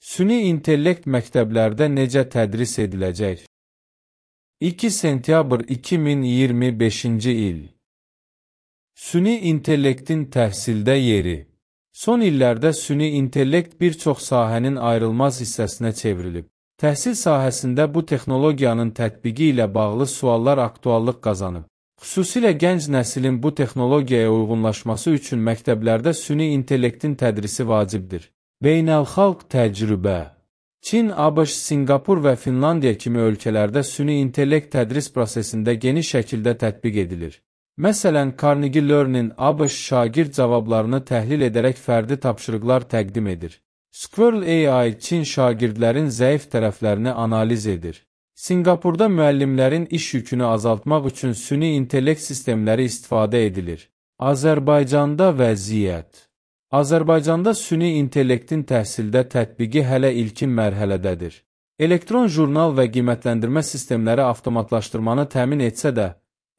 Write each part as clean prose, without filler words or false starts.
Süni intellekt məktəblərdə necə tədris ediləcək? 2 sentyabr 2025-ci il. Süni intellektin təhsildə yeri. Son illərdə süni intellekt bir çox sahənin ayrılmaz hissəsinə çevrilib. Təhsil sahəsində bu texnologiyanın tətbiqi ilə bağlı suallar aktuallıq qazanıb. Xüsusilə gənc nəslin bu texnologiyaya uyğunlaşması üçün məktəblərdə süni intellektin tədrisi vacibdir. Beynəlxalq təcrübə. Çin, ABŞ, Sinqapur və Finlandiya kimi ölkələrdə süni intellekt tədris prosesində geniş şəkildə tətbiq edilir. Məsələn, Carnegie Learning ABŞ şagird cavablarını təhlil edərək fərdi tapşırıqlar təqdim edir. Squirrel AI Çin şagirdlərin zəif tərəflərini analiz edir. Sinqapurda müəllimlərin iş yükünü azaltmaq üçün süni intellekt sistemləri istifadə edilir. Azərbaycanda vəziyyət. Azərbaycanda süni intellektin təhsildə tətbiqi hələ ilkin mərhələdədir. Elektron jurnal və qiymətləndirmə sistemləri avtomatlaşdırmanı təmin etsə də,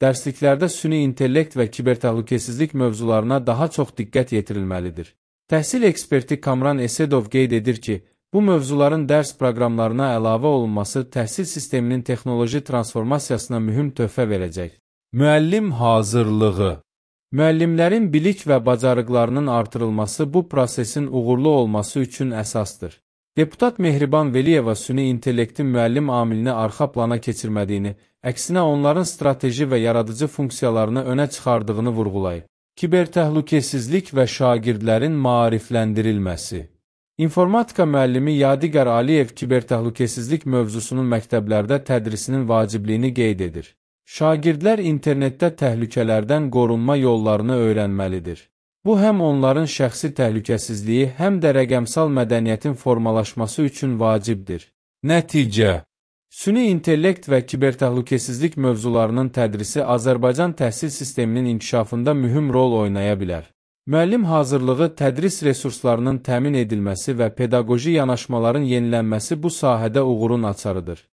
dərsliklərdə süni intellekt və kibertəhlükəsizlik mövzularına daha çox diqqət yetirilməlidir. Təhsil eksperti Kamran Esedov qeyd edir ki, bu mövzuların dərs proqramlarına əlavə olunması təhsil sisteminin texnoloji transformasiyasına mühüm töhfə verəcək. Müəllim hazırlığı. Müəllimlərin bilik və bacarıqlarının artırılması bu prosesin uğurlu olması üçün əsasdır. Deputat Mehriban Veliyeva süni intellektin müəllim amilini arxa plana keçirmədiyini, əksinə onların strateji və yaradıcı funksiyalarını önə çıxardığını vurğulayıb. Kibertəhlükəsizlik və şagirdlərin maarifləndirilməsi. İnformatika müəllimi Yadigar Aliyev kibertəhlükəsizlik mövzusunun məktəblərdə tədrisinin vacibliyini qeyd edir. Şagirdlər internetdə təhlükələrdən qorunma yollarını öyrənməlidir. Bu, həm onların şəxsi təhlükəsizliyi, həm də rəqəmsal mədəniyyətin formalaşması üçün vacibdir. Nəticə. Süni intellekt və kibertəhlükəsizlik mövzularının tədrisi Azərbaycan təhsil sisteminin inkişafında mühüm rol oynaya bilər. Müəllim hazırlığı, tədris resurslarının təmin edilməsi və pedaqoji yanaşmaların yenilənməsi bu sahədə uğurun açarıdır.